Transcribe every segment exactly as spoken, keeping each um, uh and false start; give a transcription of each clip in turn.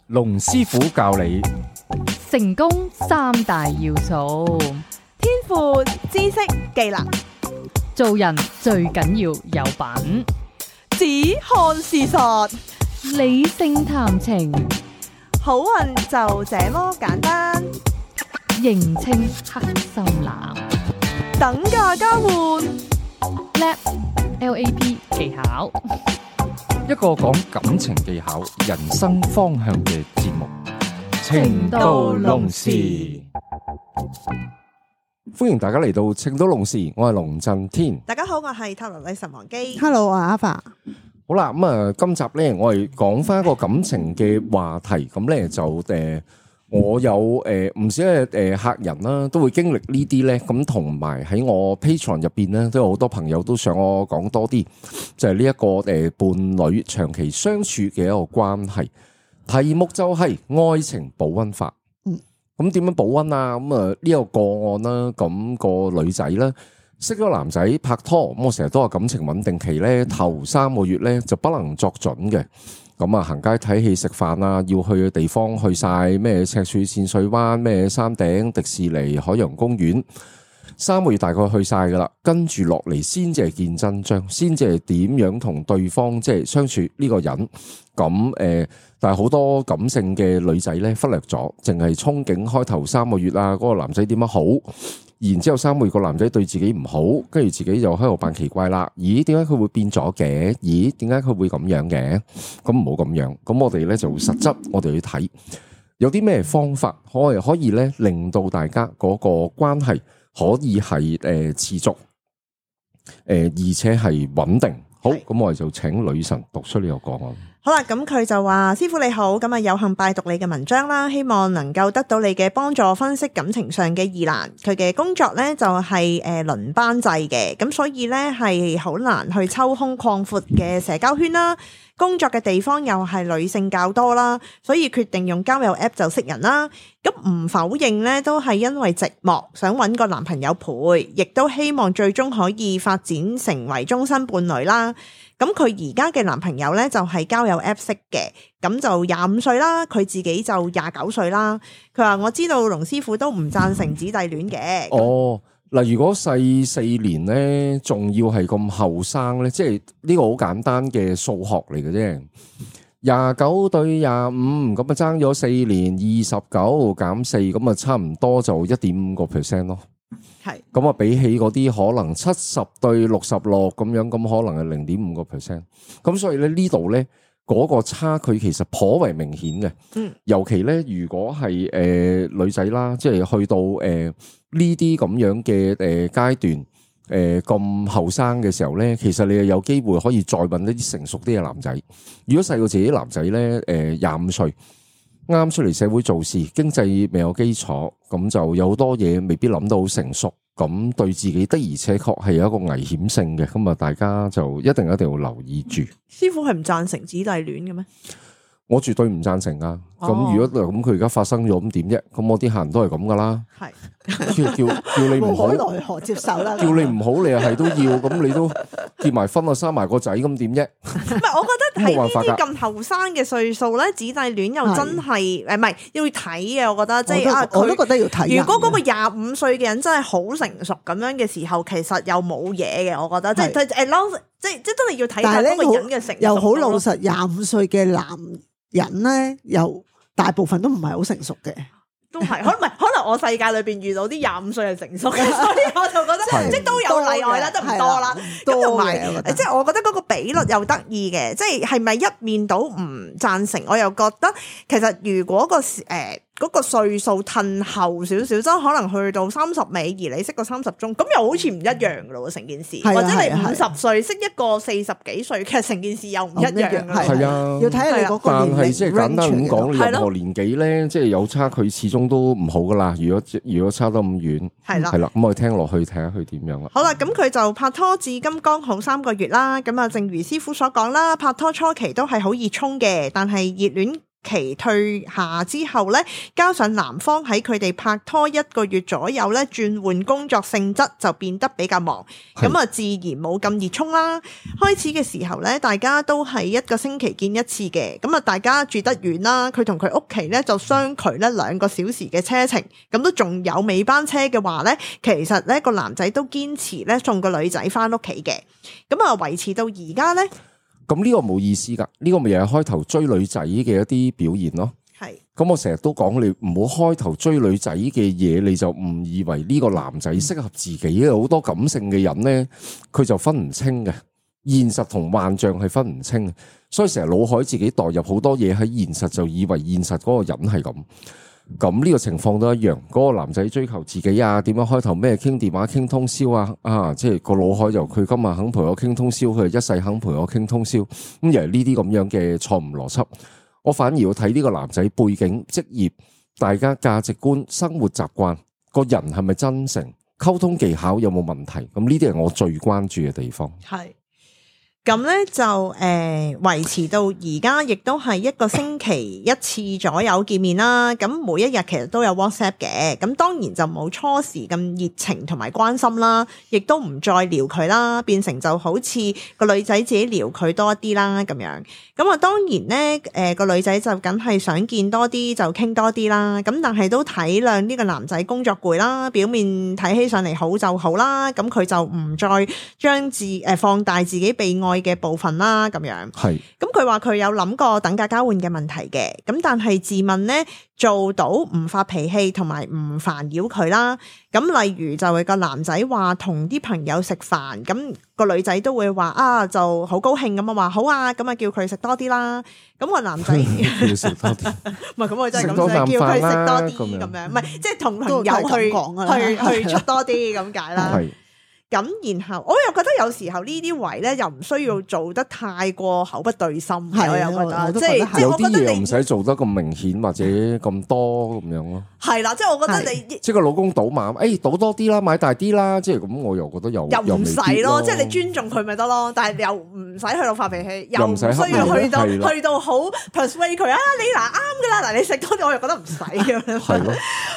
龍師傅教你成功三大要素：天賦、知識、技能。做人最緊要有品，只看事實，理性談情，好運就這麼簡單。認清黑心男，等價交換，L A P L A P 技巧，一個講感情技巧、人生方向嘅節目《情到濃時》。歡迎大家嚟到《情到濃時》，我係龍震天。大家好，我係塔羅女神王姬。Hello， 我係阿發。好啦，咁啊，今集咧我係講翻一個感情嘅話題，咁咧就誒，我有誒唔少嘅誒客人啦，都會經歷呢啲咧，咁同埋喺我 Patreon 入邊咧，都有好多朋友都想我講多啲，就係呢一個誒伴侶長期相處嘅一個關係。題目就係愛情保溫法。咁點樣保溫啊？咁啊呢個個案啦，咁個女仔咧識咗男仔拍拖，咁我成日都話感情穩定期咧頭三個月咧就不能作準嘅。咁啊行街睇戲食飯啊，要去嘅地方去晒咩赤柱淺水灣、咩山頂、迪士尼、海洋公園，三個月大概去晒噶啦。跟住落嚟先至係見真章，先至係點樣同對方即係相處呢個人。咁誒。但係好多感性嘅女仔咧忽略咗，淨係憧憬開頭三個月啊，嗰個男仔點樣好，然之後三個月個男仔對自己唔好，跟住自己就喺度扮奇怪啦。咦？點解佢會變咗嘅？咦？點解佢會咁樣嘅？咁唔好咁樣。咁我哋咧就實質，我哋去睇有啲咩方法可以可以咧令到大家嗰個關係可以係誒持續，誒而且係穩定。好，咁我哋就請女神讀出呢個個案。好啦，咁佢就話：師傅你好，咁啊有幸拜讀你嘅文章啦，希望能夠得到你嘅幫助，分析感情上嘅疑難。佢嘅工作呢就係誒輪班制嘅，咁所以呢係好難去抽空擴闊嘅社交圈啦。工作嘅地方又係女性較多啦，所以決定用交友 app 就識人啦。咁唔否認呢都係因為寂寞，想揾個男朋友陪，亦都希望最終可以發展成為終身伴侶啦。咁佢而家嘅男朋友呢，就係交友 app 識嘅，咁就廿五歲啦，佢自己就廿九歲啦。佢話我知道龍師傅都唔贊成姊弟戀嘅。哦，嗱，如果細四年呢，仲要係咁後生呢，即係呢個好簡單嘅數學嚟嘅啫。廿九對廿五，咁啊爭咗四年，二十九減四，咁啊差唔多就一點五個 percent 咯。係，咁啊比起嗰啲可能七十對六十六咁樣，咁可能係零點五個 percent。咁所以咧呢度咧嗰個差距其實頗為明顯嘅。嗯，尤其咧如果係誒、呃、女仔啦，即係去到誒呢啲咁樣嘅誒階段，誒咁後生嘅時候咧，其實你係有機會可以再搵一啲成熟啲嘅男仔。如果細過自己男仔咧，誒廿五歲。啱出嚟社會做事，經濟未有基礎，咁就有好多嘢未必諗到好成熟，咁對自己的而且確係有一個危險性嘅，咁啊大家就一定一定要留意住。師傅係唔贊成姊弟戀嘅咩？我絕對唔贊成啊！咁、哦、如果咁佢而家發生咗咁點啫？咁我啲客人都係咁噶啦。係叫叫叫你唔好，無可奈何接受啦。叫你唔好，你又係都要，咁你都結埋婚啊，生埋個仔，咁點啫？唔係，我覺得喺呢啲咁後生嘅歲數咧，姊弟戀又真係誒，唔係要睇嘅。我覺得即係啊，我都覺得要睇。如果嗰個廿五歲嘅人真係好成熟咁樣嘅時候，其實又冇嘢嘅。我覺得即係誒撈，即係即係真係要睇下嗰個人嘅成熟。又好老實，廿五歲嘅男人咧，又大部分都唔係好成熟嘅。都係，可能唔係，可能我世界裏邊遇到啲廿五歲係成熟嘅，所以我就覺得即係都有例外啦，都唔多啦。咁同埋，即係我覺得嗰個比率又得意嘅，即係係咪一面倒唔贊成？我又覺得其實如果個誒。呃嗰個歲數褪後少少，即係可能去到三十尾，而你識個三十中，咁又好似唔一樣噶咯，成件事。或者你五十歲識一個四十幾歲，其實成件事又唔一樣。係啊，要睇下你嗰個年齡。但係即係簡單咁講，你任何年紀咧，即係有差距，始終都唔好噶啦。如果如果差得咁遠，係啦，係啦，咁我哋聽落去睇下佢點樣啦。好啦，咁佢就拍拖至今剛好三個月啦。咁啊，正如師傅所講啦，拍拖初期都係好熱衷嘅，但係熱戀期退下之後咧，加上男方喺佢哋拍拖一個月左右咧，轉換工作性質就變得比較忙，咁啊自然冇咁熱衷啦。開始嘅時候咧，大家都係一個星期見一次嘅，咁啊大家住得遠啦，佢同佢屋企咧就相距咧兩個小時嘅車程，咁都仲有尾班車嘅話咧，其實咧個男仔都堅持咧送個女仔翻屋企嘅，咁啊維持到而家咧。咁呢個冇意思噶，呢、這個咪又係開頭追女仔嘅一啲表現咯。係是，咁我成日都講你唔好開頭追女仔嘅嘢，你就誤以為呢個男仔適合自己嘅。好多感性嘅人咧，佢就分唔清嘅，現實同幻象係分唔清，所以成日腦海自己代入好多嘢喺現實，就以為現實嗰個人係咁。咁呢個情況都一樣，嗰、那個男仔追求自己啊，點樣開頭咩傾電話傾通宵啊，啊，即係個腦海由佢今日肯陪我傾通宵，佢一世肯陪我傾通宵，咁而係呢啲咁樣嘅錯誤邏輯，我反而要睇呢個男仔背景、職業、大家價值觀、生活習慣，個人係咪真誠，溝通技巧有冇問題，咁呢啲係我最關注嘅地方。係。咁咧就誒維、呃、持到而家，亦都係一個星期一次左右見面啦。咁每一日其實都有 WhatsApp 嘅，咁當然就冇初時咁熱情同埋關心啦，亦都唔再撩佢啦，變成就好似個女仔自己撩佢多啲啦咁樣。咁啊當然咧，誒、呃、個女仔就梗係想見多啲就傾多啲啦。咁但係都體諒呢個男仔工作攰啦，表面睇起上嚟好就好啦。咁佢就唔再將自誒、呃、放大自己被愛嘅部分啦，咁樣係。咁佢話佢有諗過等價交換嘅問題嘅，咁但係自問呢，做到唔發脾氣同埋唔煩擾佢啦。咁例如就係個男仔話同啲朋友食飯，咁個女仔都會話啊就好高興咁啊話好啊，咁啊叫佢食多啲啦。咁個男仔叫食多啲，唔係咁我真係咁想叫佢食多啲咁樣，唔係即係同朋友去去去出多啲咁解啦。咁然後我又覺得有時候呢啲位咧又唔需要做得太過口不對心，係我又覺得，即係即係我覺得你唔使做得咁明顯或者咁多咁樣咯。係啦，即係我覺得你即係個老公賭馬，誒賭多啲啦，買大啲啦，即係咁，我又覺得又又唔使咯，即係你尊重佢咪得咯，但係又唔使去到發脾氣，又唔需要去到去到好 persuade 佢啊！你嗱啱噶啦，嗱你食多啲，我又覺得唔使咁樣。係咯，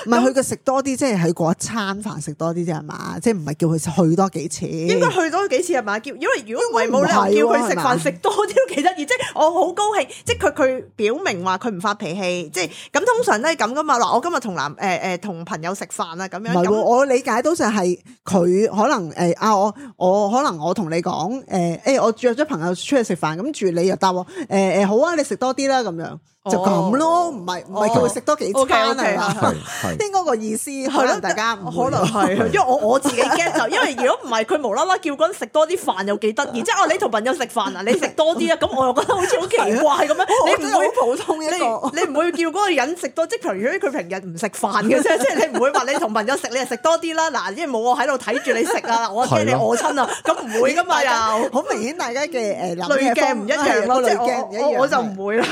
唔係佢嘅食多啲，即係喺嗰一餐飯食多啲啫係嘛，即係唔係叫佢去多幾次？應該去多幾次係嘛？叫因為如果唔係冇理由叫佢食飯食多啲都幾得意，即係我好高興，即係佢佢表明話佢唔發脾氣，即係咁通常都係咁噶嘛。嗱，我今日同男誒誒同朋友食飯啊咁樣。唔係喎，我理解到就係佢可能誒啊我我可能我同你講誒誒我約咗朋友出去食飯，咁住你又答我誒誒好啊，你食多啲啦咁樣。就咁咯，唔係唔係叫佢食多幾餐係嘛？應該個意思可能大家可能係，因為我我自己 get 就，因為如果唔係佢無啦啦叫嗰人食多啲飯又幾得意，即係哦你同朋友食飯啊，你食多啲啊，咁我又覺得好似好奇怪咁樣，你唔會普通一個，你唔會叫嗰個人食多，即係譬如佢平日唔食飯嘅啫，即係你唔會話你同朋友食你就食多啲啦，嗱，因為冇我喺度睇住你食啊，我驚你餓親啊，咁唔會噶嘛又，好明顯大家嘅誒濾鏡唔一樣咯，即係我我我就唔會啦。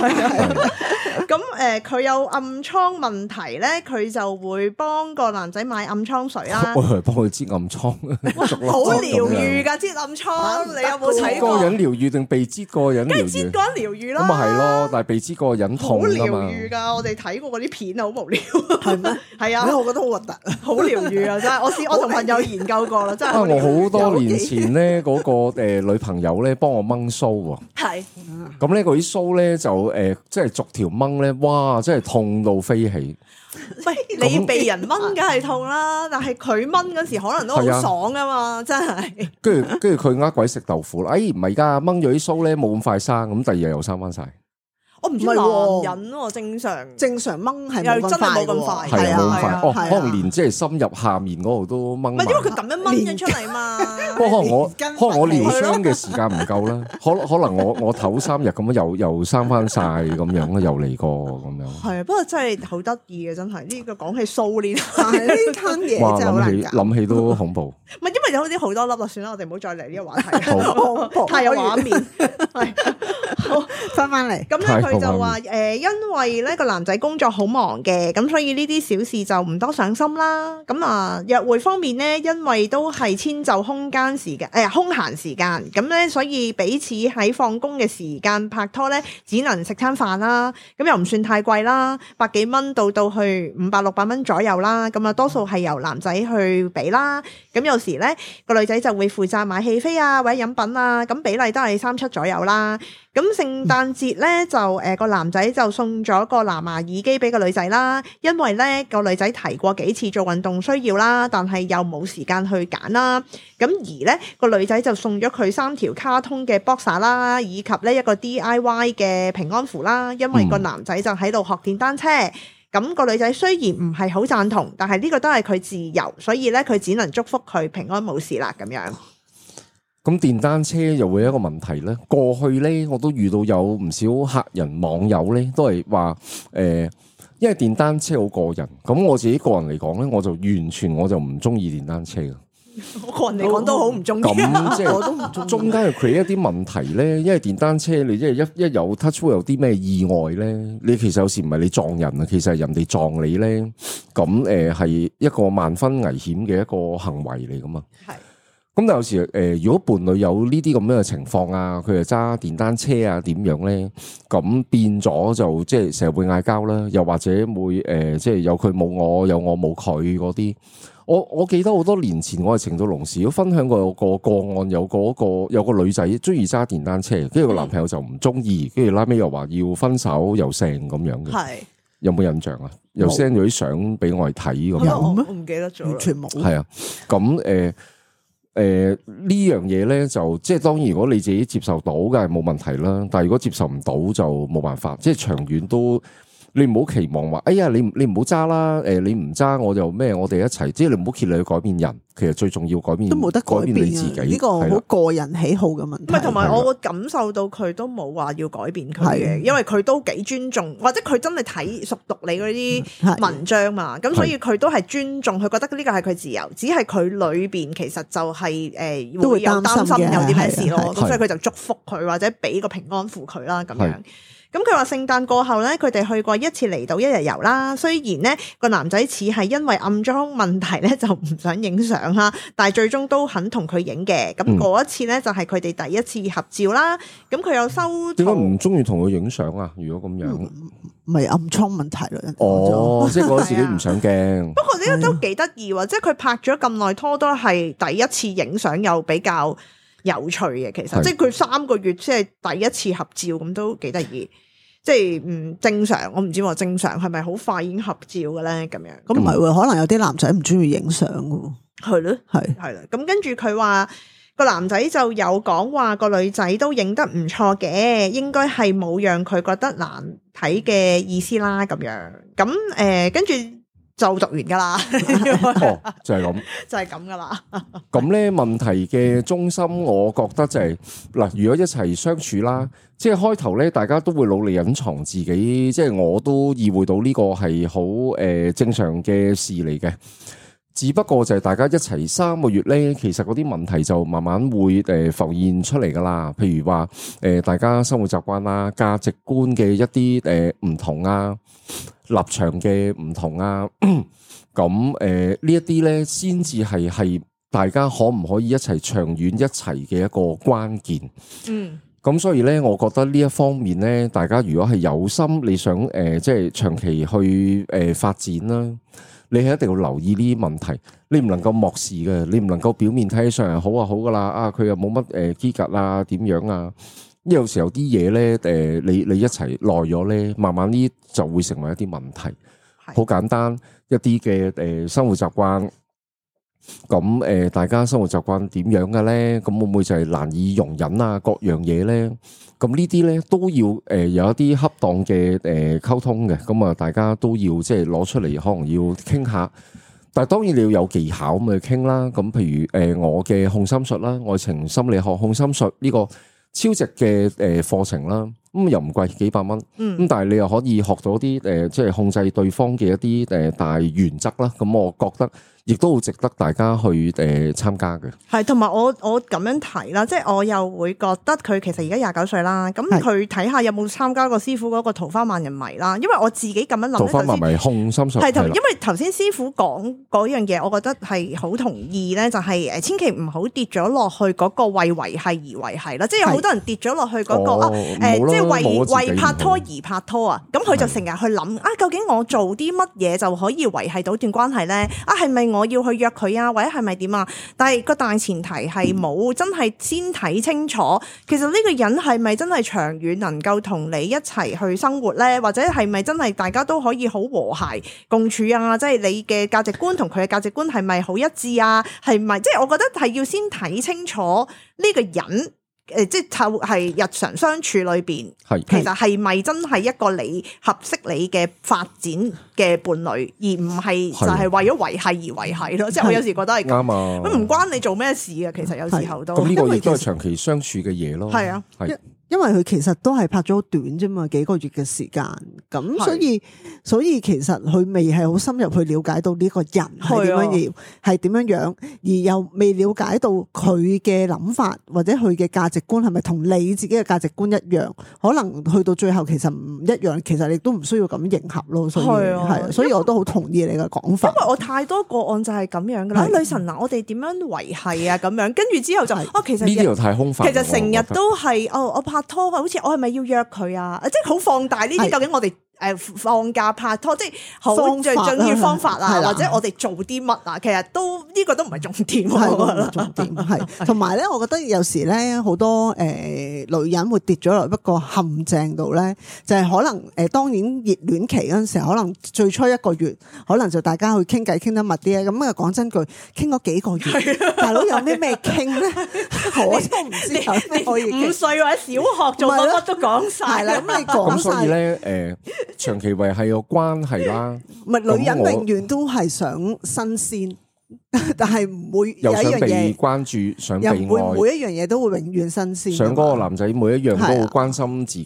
咁誒，佢、呃、有暗瘡問題咧，佢就會幫個男仔買暗瘡水啦。我係幫佢擠暗瘡，好療愈㗎，擠暗瘡。你有冇睇過？個人療愈定被擠個人療愈？梗係擠個人療愈啦。咁啊係咯，但係被擠個人痛㗎嘛。好療愈㗎，我哋睇過嗰啲片啊，好無聊。係咩？係啊，我覺得好核突。好療愈啊，真係。我試我同朋友研究過啦，真係。啊，我好多年前咧，嗰個誒女朋友咧幫我掹須喎。係。咁咧嗰啲須咧就誒，即係逐條掹。咧，哇！真係痛到飛起。喂，你被人掹梗係痛啦，但係佢掹嗰時可能都好爽噶嘛，真係。跟住跟住佢呃鬼食豆腐啦，哎唔係噶，掹咗啲鬚咧冇咁快生，咁第二日又生翻晒。我唔知男人喎，正常正常掹係又真係冇咁快，係啊冇咁快，哦可能連即係深入下面嗰度都掹。唔係因為佢咁樣掹咗出嚟嘛。不過可能我可能我療傷嘅時間唔夠啦，可可能我我唞三日咁樣又又生翻晒咁樣啦，又嚟過咁樣。係啊，不過真係好得意嘅，真係呢個講起蘇呢，呢攤嘢真係好難搞。諗起都恐怖。唔係因為有啲好多粒啊，算啦，我哋唔好再嚟呢個話題。太有畫面。係翻翻嚟。咁咧佢就話誒、呃，因為咧個男仔工作好忙嘅，咁所以呢啲小事就唔多上心啦。咁啊，約會方面咧，因為都係遷就空間時間誒、呃、空閒時間，咁咧所以彼此喺放工嘅時間拍拖咧，只能食餐飯啦。咁又唔算太貴啦，百幾蚊到到去五百六百蚊左右啦。咁啊，多數係由男仔去俾啦。咁有時咧個女仔就會負責買戲飛啊或者飲品啊，咁比例都係三七左右啦。咁聖誕節咧就誒個、呃、男仔就送咗個藍牙耳機俾個女仔啦，因為咧個女仔提過幾次做運動需要啦，但係又冇時間去揀啦。咁而咧個女仔就送咗佢三條卡通嘅 boxer 啦，以及呢一個 D I Y 嘅平安符啦，因為個男仔就喺度學電單車。咁個女仔雖然唔係好贊同，但係呢個都係佢自由，所以咧佢只能祝福佢平安冇事啦咁樣。咁電單車又會有一個問題咧。過去咧我都遇到有唔少客人網友咧都係話誒，因為電單車好過癮。咁我自己個人嚟講咧，我就完全我就唔中意電單車嘅。我個人嚟講都好唔中意。咁即係我都唔中意。中間又 create 一啲問題咧，因為電單車你即係一一有 touch 有啲咩意外咧，你其實有時唔係你撞人啊，其實係人哋撞你咧。咁誒係一個萬分危險嘅一個行為嚟噶嘛。係。咁但有時誒、呃，如果伴侶有呢啲咁樣嘅情況啊，佢又揸電單車啊，點樣咧？咁變咗就即係成日會嗌交啦，又或者會誒、呃，即係有佢冇我，有我冇佢嗰啲。我我記得好多年前我係程度龍時都分享過個個案，有個個有個女仔中意揸電單車，跟住個男朋友就唔中意，跟住拉尾又話要分手又成咁樣嘅。係有冇印象啊？又 send 咗啲相俾我哋睇咁樣。有咩？我唔記得咗，完全冇。係啊，咁誒。呃誒、呃，呢樣嘢咧就即係當然，如果你自己接受到嘅係冇問題啦。但係如果接受唔到就冇辦法，即係長遠都你唔好期望話，哎呀，你你唔好揸啦。誒，你唔揸我就咩？我哋一齊，即係你唔好竭力去改變人。其實最重要改變都冇得改變你自己，呢個好個人喜好嘅問題。唔係，同埋我會感受到佢都冇話要改變佢嘅，因為佢都幾尊重，或者佢真係睇熟讀你嗰啲文章嘛。咁所以佢都係尊重，佢覺得呢個係佢自由，只係佢裏邊其實就係、是、誒、呃、會有擔心有啲咩事咯。咁所以佢就祝福佢或者俾個平安符佢啦咁樣。咁佢話聖誕過後咧，佢哋去過一次離島一日遊啦。雖然咧個男仔似係因為暗裝問題咧就唔想影相啦，但係最終都肯同佢影嘅。咁嗰一次咧就係佢哋第一次合照啦。咁佢有收點解唔中意同佢影相啊？如果咁樣，咪、嗯、暗瘡問題咯。哦，即係覺得自己唔想鏡。不過呢個都幾得意喎，即係佢拍咗咁耐拖都係第一次影相，又比較有趣嘅。其實即係佢三個月即係第一次合照，咁都幾得意。即係唔正常，我唔知喎。正常係咪好快已經合照嘅咧？咁樣咁唔係喎，可能有啲男仔唔中意影相嘅。係咯，係係啦。咁跟住佢話個男仔就有講話個女仔都影得唔錯嘅，應該係冇讓佢覺得難睇嘅意思啦。咁樣咁誒，跟住。就讀完噶啦，哦，就係咁，就係咁噶啦。咁咧問題嘅中心，我覺得就係嗱，如果一齊相處啦，即係開頭咧，大家都會努力隱藏自己，即係我都意會到呢個係好誒正常嘅事嚟嘅。只不過就係大家一齊三個月咧，其實嗰啲問題就慢慢會誒浮現出嚟噶啦。譬如話誒，大家生活習慣啦、價值觀嘅一啲誒唔同啊。立場嘅唔同啊，咁誒、呃、呢一啲咧，先至係係大家可唔可以一齊長遠一齊嘅一個關鍵。嗯，咁所以咧，我覺得呢一方面咧，大家如果係有心，你想誒、呃、即係長期去誒、呃、發展啦，你係一定要留意呢啲問題，你唔能夠漠視嘅，你唔能夠表面睇起上嚟好啊好噶啦，啊佢又冇乜誒機格啊點樣啊。因為有時候啲嘢咧，誒，你你一齊耐咗咧，慢慢呢就會成為一啲問題。好簡單一啲嘅誒生活習慣，咁誒大家生活習慣點樣嘅咧？咁會唔會就係難以容忍啊？各樣嘢咧，咁呢啲咧都要誒有一啲恰當嘅誒溝通嘅。咁啊，大家都要即係攞出嚟，可能要傾下。但係當然你要有技巧咁去傾啦。咁譬如誒我嘅控心術啦，愛情心理學控心術呢個。超值嘅誒課程啦，咁又唔貴，幾百蚊，咁、嗯、但係你又可以學到啲誒，即係控制對方嘅一啲誒大原則啦。咁我覺得亦都好值得大家去誒參加嘅。係，同埋我我咁樣提啦，即係我又會覺得佢其實而家廿九歲啦，咁佢睇下有冇參加過師傅嗰個桃花萬人迷啦。因為我自己咁樣諗，桃花萬人迷控心術係同，因為頭先師傅講嗰樣嘢，我覺得係好同意咧，就係誒千祈唔好跌咗落去嗰個為維繫而維繫啦。即係有好多人跌咗落去嗰個啊誒，即係為為拍拖而拍拖啊。咁佢就成日去諗啊，究竟我做啲乜嘢就可以維繫到段關係咧？啊，係咪我要去約佢啊？或者係咪點啊？但係個大前提係冇真係先睇清楚，其實呢個人係咪真係長遠能夠同你一齊去生活咧？或者係咪真係大家都可以好和諧共處啊？即係你嘅價值觀同佢嘅價值觀係咪好一致啊？係咪即係我覺得係要先睇清楚呢個人。誒，即係係日常相處裏邊，係其實係咪真係一個你合適你嘅發展嘅伴侶，而唔係就係為咗維繫而維繫咯？即係我有時覺得係啱啊，咁唔關你做咩事啊。其實有時候都咁呢個亦都係長期相處嘅嘢咯。係啊，係。因為佢其實都係拍咗好短啫嘛，幾個月嘅時間，咁所以所以其實佢未係好深入去了解到呢個人係點樣要係點樣樣，而又未了解到佢嘅諗法或者佢嘅價值觀係咪同你自己嘅價值觀一樣？可能去到最後其實唔一樣，其實你都唔需要咁迎合咯。所以係，所以我都好同意你嘅講法。因為我太多個案就係咁樣噶啦，女神嗱，我哋點樣維繫啊？咁樣跟住之後就哦，其實呢啲又太空泛。其實成日都係哦，我拍拖好似我係咪要約佢啊？即係好放大呢啲，究竟我哋誒放假拍拖，即係好最重要方法啊，或者我哋做啲乜啊？其實都呢、這個都唔係重點，係重點係。同埋咧，我覺得有時咧好多誒、呃、女人會跌咗落一個陷阱度咧，就係、是、可能誒、呃、當然熱戀期嗰陣時候，可能最初一個月，可能就大家去傾偈傾得密啲咧。咁啊講真句，傾咗幾個月，大佬有啲咩傾咧？我都唔知有咩可以傾。五歲或者小學做乜乜都講晒啦。咁你講晒。咁所以咧誒。呃長期維係個關係啦，唔係女人永遠都係想新鮮，但係唔會有一樣嘢又想被關注，想被愛，又唔會每一樣嘢都會永遠新鮮。想嗰個男仔每一樣都好關心自己，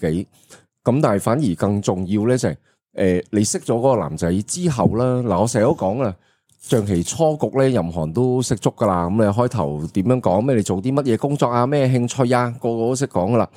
咁、啊、但係反而更重要咧就係、是、誒、呃，你識咗嗰個男仔之後啦，嗱我成日都講啦，象棋初局咧任何人都識足噶啦，咁你開頭點樣講咩？你做啲乜嘢工作啊？咩興趣啊？個個都識講噶啦，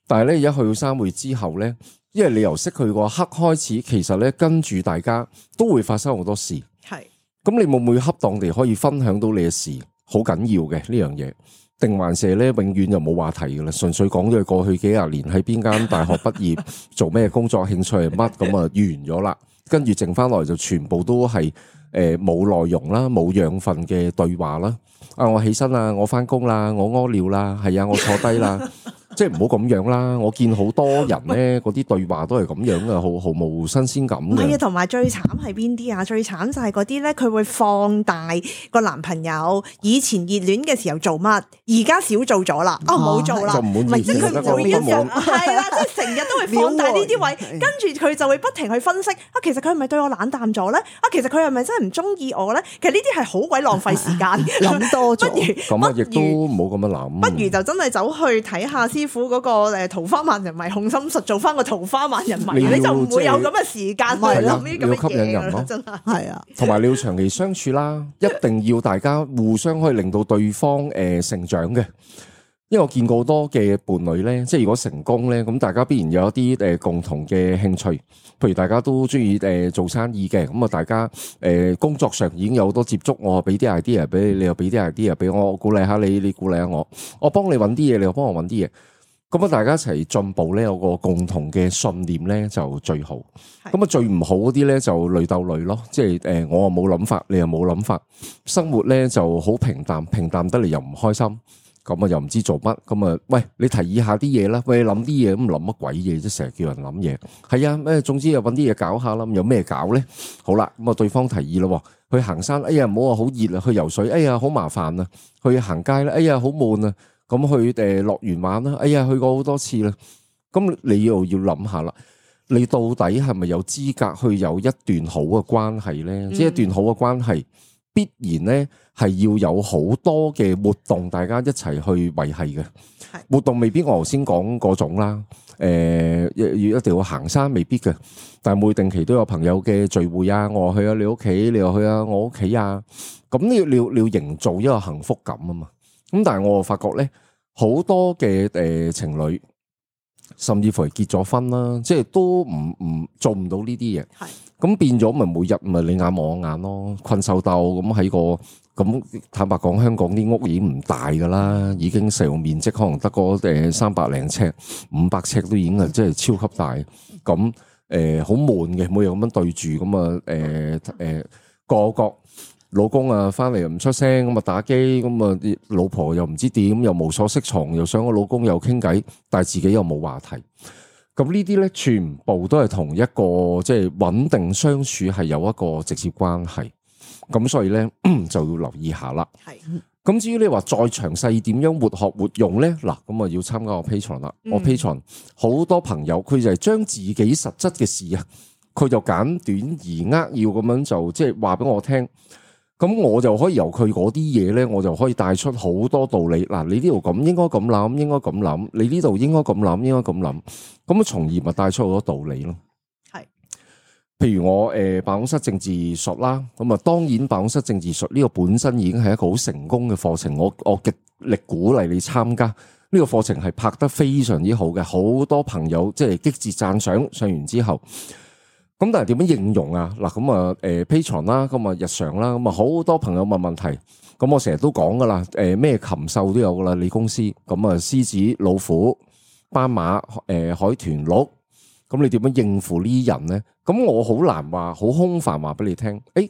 但係咧而家去到三會之後咧。因為你由識佢個刻開始，其實咧跟住大家都會發生好多事。係，咁你會唔會恰當地可以分享到你嘅事？好緊要嘅呢樣嘢，定還是咧永遠就冇話題噶啦？純粹講咗佢過去幾廿年喺邊間大學畢業，做咩工作，興趣係乜咁啊完咗啦。跟住剩翻來就全部都係誒冇內容啦，冇養分嘅對話啦。啊，我起身啦，我翻工啦，我屙尿啦，係啊，我坐低啦。即係唔好咁樣啦！我見好多人咧，嗰啲對話都係咁樣嘅，好毫無新鮮感嘅。係啊，同埋最慘係邊啲啊？最慘就係嗰啲咧，佢會放大個男朋友以前熱戀嘅時候做乜，而家少做咗啦，哦冇做啦，就唔滿意，即係佢每一樣係啦，即係成日都會放大呢啲位，跟住佢就會不停去分析啊，其實佢係咪對我冷淡咗咧？啊，其實佢係咪真係唔中意我咧？其實呢啲係好鬼浪費時間，諗多咗。咁啊，亦都唔好咁樣諗。不如就真係走去睇下師傅嗰個誒桃花萬人迷控心術，做翻個桃花萬人迷，你就唔會有咁嘅時間去諗呢啲咁嘅嘢啦。真係係啊，同埋你要長期相處啦，一定要大家互相可以令到對方誒成長嘅。因為我見過好多嘅伴侶咧，即係如果成功咧，咁大家必然有一啲誒共同嘅興趣，譬如大家都中意誒做生意嘅，咁啊大家誒工作上已經有好多接觸，我俾啲 idea 俾你，你又俾啲 idea 俾我，我鼓勵下你，你鼓勵下我，我幫你揾啲嘢，你又幫我揾啲嘢，咁啊大家一齊進步咧，有個共同嘅信念咧就最好。咁啊最唔好嗰啲咧就累鬥累咯，即係誒我又冇諗法，你又冇諗法，生活咧就好平淡，平淡得嚟又唔開心。咁啊又唔知做乜，咁啊喂你提議下啲嘢啦，喂諗啲嘢咁諗乜鬼嘢啫，成日叫人諗嘢，係啊咩，總之又搵啲嘢搞下啦，咁有咩搞咧？好啦，咁啊對方提議咯，去行山，哎呀唔好話好熱啊，去游水，哎呀好麻煩啊，去行街咧，哎呀好悶啊，咁去誒樂園玩啦，哎呀去過好多次啦，咁你又要諗下啦，你到底係咪有資格去有一段好嘅關係咧？嗯、即係一段好嘅關係。必然咧係要有好多嘅活動，大家一齊去維繫嘅活動，未必我頭先講嗰種啦。誒要一定要行山未必嘅，但係每定期都有朋友嘅聚會啊，我話去啊你屋企，你又去啊我屋企啊，咁你要你要你要營造一個幸福感啊嘛。咁但係我發覺咧，好多嘅誒情侶，甚至乎係結咗婚啦，即係都唔唔做唔到呢啲嘢。係咁變咗咪每日咪你眼望我眼咯，困獸鬥咁喺個咁坦白講，香港啲屋已經唔大噶啦，已經使用面積可能得個誒三百零尺、五百尺都已經係即係超級大。咁誒好悶嘅，每日咁樣對住咁啊誒誒個個老公啊翻嚟又唔出聲，咁啊打機，咁啊老婆又唔知點，又無所適從，又想個老公又傾偈，但係自己又冇話題。咁呢啲咧，全部都係同一個即係穩定相處係有一個直接關係。咁所以咧就要留意下啦。係。咁至於你話再詳細點樣活學活用咧，嗱咁啊要參加我 Patreon 啦。我 Patreon 好多朋友佢就係將自己實質嘅事啊，佢就簡短而扼要咁樣就即係話俾我聽。咁我就可以由佢嗰啲嘢咧，我就可以帶出好多道理。嗱，你呢度咁應該咁諗，應該咁諗；你呢度應該咁諗，應該咁諗。咁啊，從而咪帶出好多道理咯。係，譬如我誒辦公室政治術啦，咁啊，當然辦公室政治術呢個本身已經係一個好成功嘅課程，我我極力鼓勵你參加。呢個課程係拍得非常之好嘅，好多朋友即係激烈讚賞。上完之後。咁但係點樣應用啊？嗱咁啊，誒 Patreon 啦，咁啊日常啦，咁啊好多朋友問問題，咁我成日都講噶啦，誒咩禽獸都有噶啦，你公司咁啊獅子、老虎、斑馬、誒海豚、鹿，咁你點樣應付呢啲人咧？咁我好難話，好空泛話俾你聽。誒，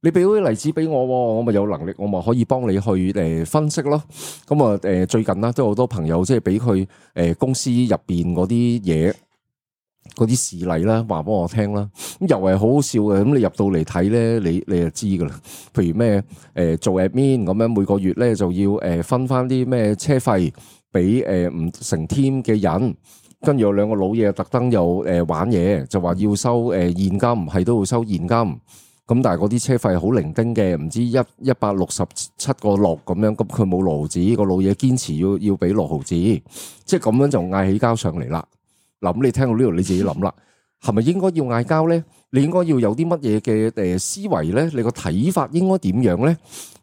你俾啲例子俾我，我咪有能力，我咪可以幫你去誒分析咯。咁啊誒最近啦，都有好多朋友即係俾佢誒公司入邊嗰啲嘢。嗰啲事例啦，話俾我聽啦，咁又係好好笑嘅。咁你入到嚟睇咧，你你就知噶啦。譬如咩誒、呃、做 admin 咁樣，每個月咧就要誒分翻啲咩車費俾誒唔成 team 嘅人，跟住有兩個老嘢特登又誒玩嘢，就話要收誒現金，係都要收現金。咁但係嗰啲車費好零丁嘅，唔知一一百六十七個六咁樣，咁佢冇六毫子，個老嘢堅持要要俾六毫子，即係咁樣就嗌起交上嚟啦。嗱，咁你聽到呢度你自己諗啦，係咪應該要嗌交咧？你應該要有啲乜嘢嘅誒思維咧？你個睇法應該點樣咧？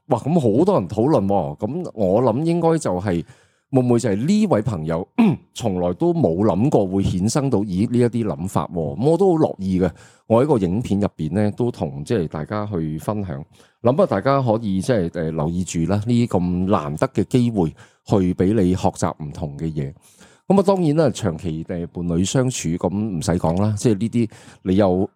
哇，咁好多人討論喎，咁我諗應該就係會唔會就係呢位朋友從來都冇諗過會衍生到以呢一啲諗法，咁我都好樂意嘅。我喺個影片入邊咧都同即係大家去分享，諗啊大家可以即係誒留意住啦，呢啲咁難得嘅機會去俾你學習唔同嘅嘢。咁啊，當然啦，長期誒伴侶相處咁唔使講啦，即係呢啲你有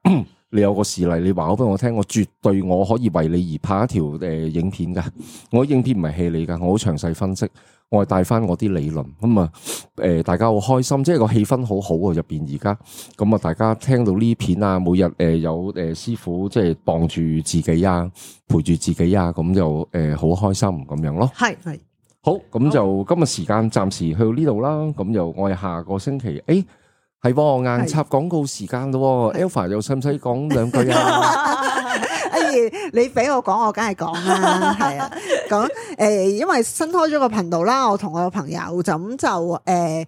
你有個事例，你話好俾我聽，我絕對我可以為你而拍一條誒影片噶。我影片唔係戲嚟噶，我好詳細分析，我係帶翻我啲理論。咁啊，誒大家好開心，即係個氣氛好好啊入邊而家。咁啊，大家聽到呢片啊，每日誒有誒師傅即係傍住自己啊，陪住自己啊，咁就誒好開心咁樣咯。係係。好，咁就今日時間暫時去到呢度啦。咁就我哋下個星期，誒係硬插廣告時間咯。Alpha 又使唔使講兩句啊？哎，你俾我講，我梗係講啦。係啊，講誒，因為新開咗個頻道啦，我同我個朋友就咁就誒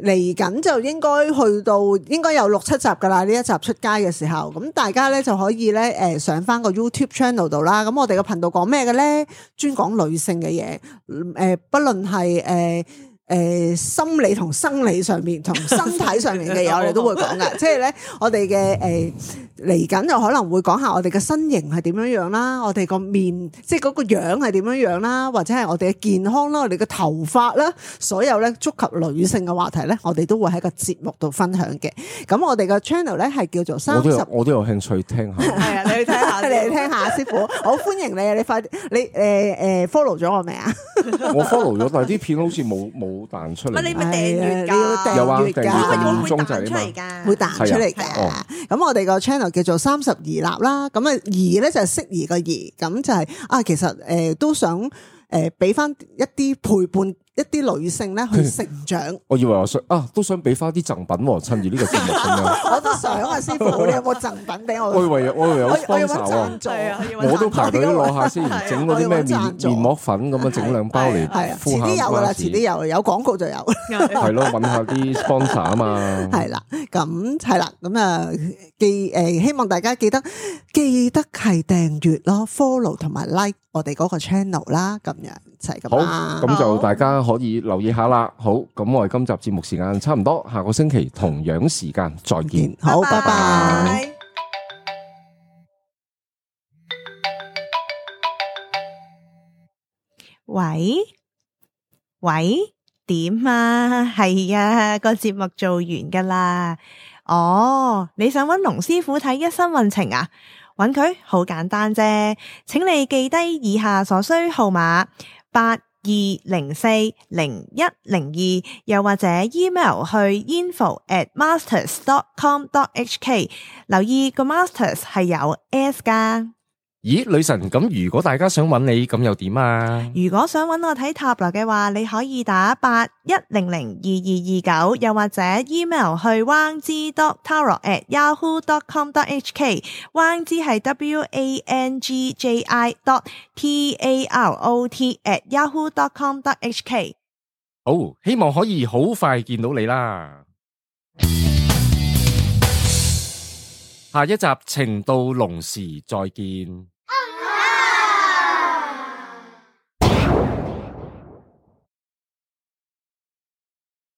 嚟緊就應該去到應該有六七集噶啦。呢一集出街嘅時候，咁大家咧就可以咧誒上翻個 YouTube channel 度啦。咁我哋個頻道講咩嘅咧？專講女性嘅嘢，誒，不論係誒誒心理同生理上面同身體上面嘅嘢，我哋都會講噶。即係咧，我哋嘅誒嚟緊就可能會講下我哋嘅身形係點樣樣啦，我哋個面即係嗰個樣係點樣樣啦，或者係我哋嘅健康啦，我哋嘅頭髮啦，所有咧觸及女性嘅話題咧，我哋都會喺個節目度分享嘅。咁我哋個 channel 咧係叫做三十，我都有我都有興趣聽下。係啊，你去聽下，你嚟聽下，師傅，我歡迎你啊！你快啲，你誒誒 follow 咗我未啊？我 follow 咗，但係啲片好似冇冇彈出嚟。你咪訂閱㗎，有啊，訂閱會鐘仔彈出嚟㗎，會彈出嚟㗎。咁我哋個 channel 叫做三十而立啦。咁啊，宜咧就係適宜個宜，咁就係啊，其實誒都想誒俾翻一啲陪伴一啲女性咧去成長。我以為我想啊，都想俾翻啲贈品喎，趁住呢個節目咁樣。我都想啊，師傅，你有冇贈品俾我？我以為我以為有我我要 sponsor 揾贊助係啊要揾我都排隊攞下先，係啊整嗰啲咩我要揾贊助面面膜粉咁樣整兩包嚟係啊，敷下遲啲有噶啦，關節遲啲有，有廣告就有。係咯，揾下啲 sponsor 啊嘛。係啦，咁係啦，咁啊記誒，希望大家記得記得係訂閱咯 ，follow 同埋 like 我哋嗰個 channel 啦，咁樣就係咁好，啦。咁就大家可以留意下啦。好，咁我哋今集節目時間差唔多，下個星期同樣時間再見。好，拜拜。喂喂，點啊？係啊，個節目做完噶啦。哦，你想揾龍師傅睇一生運程啊？揾佢好簡單啫，請你記低以下所需號碼八二零四零一零二，又或者 email 去 info at masters dot com dot h k。留意個 masters 係有 s 噶。咦，女神，咁如果大家想揾你，咁又點啊？如果想揾我睇塔羅嘅話，你可以打八一零零二二二九，又或者 email 去 wang zi dot tarot at yahoo dot com dot h k。wang zi 係 w a n g j i dot t a r o t at yahoo dot com dot h k。好，希望可以好快見到你啦。下一集情到濃時再見。